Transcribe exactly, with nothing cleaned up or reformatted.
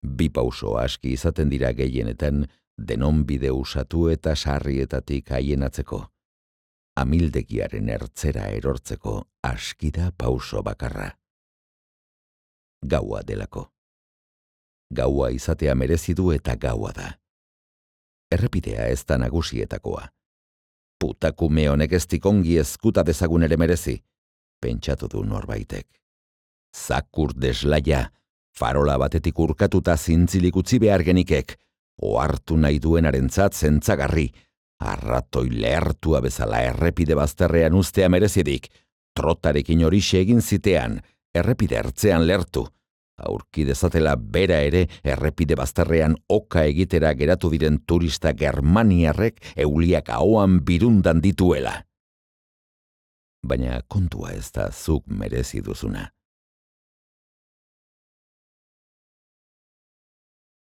Bi pauso aski izaten dira gehienetan denon bide usatu eta sarrietatik haienatzeko. Amildegiaren ertzera erortzeko aski da pauso bakarra. Gaua delako. Gaua izatea merezi du eta gaua da. Errepidea ez da nagusietakoa. Putakume honek ez dikongi ezkuta dezagun ere merezi, pentsatu du norbaitek. Zakur deslaia, farola batetik urkatuta zintzilik utzi behar genikek, ohartu nahi duenarentzat zentzagarri, arratoi lehertua bezala errepide bazterrean ustea merezidik, trotarekin horixe egin zitean, errepide ertzean lertu, aurki dezatela bera ere errepide bazterrean oka egitera geratu diren turista germaniarrek euliak ahoan birundan dituela. Baina kontua ez da zuk merezi duzuna.